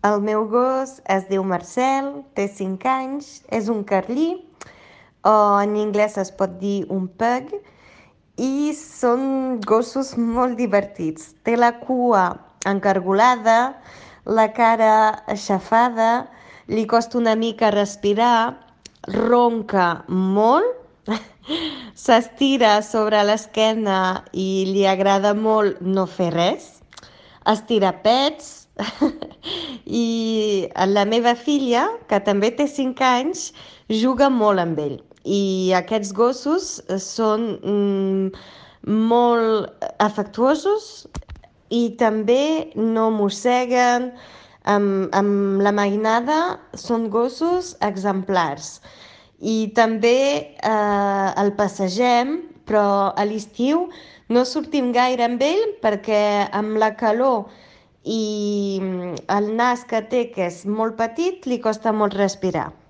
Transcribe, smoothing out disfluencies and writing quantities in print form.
El meu gos es diu Marcel, té 5 anys, és un carlí, o en anglès es pot dir un pug, i són gossos molt divertits. Té la cua encargolada, la cara aixafada, li costa una mica respirar, ronca molt, s'estira sobre l'esquena i li agrada molt no fer res, estira pets i la meva filla, que també té 5 anys, juga molt amb ell. I aquests gossos són molt afectuosos i també no mosseguen. Amb la mainada són gossos exemplars. I també el passegem, però a l'estiu no sortim gaire amb ell perquè amb la calor i el nas que té, que és molt petit, li costa molt respirar.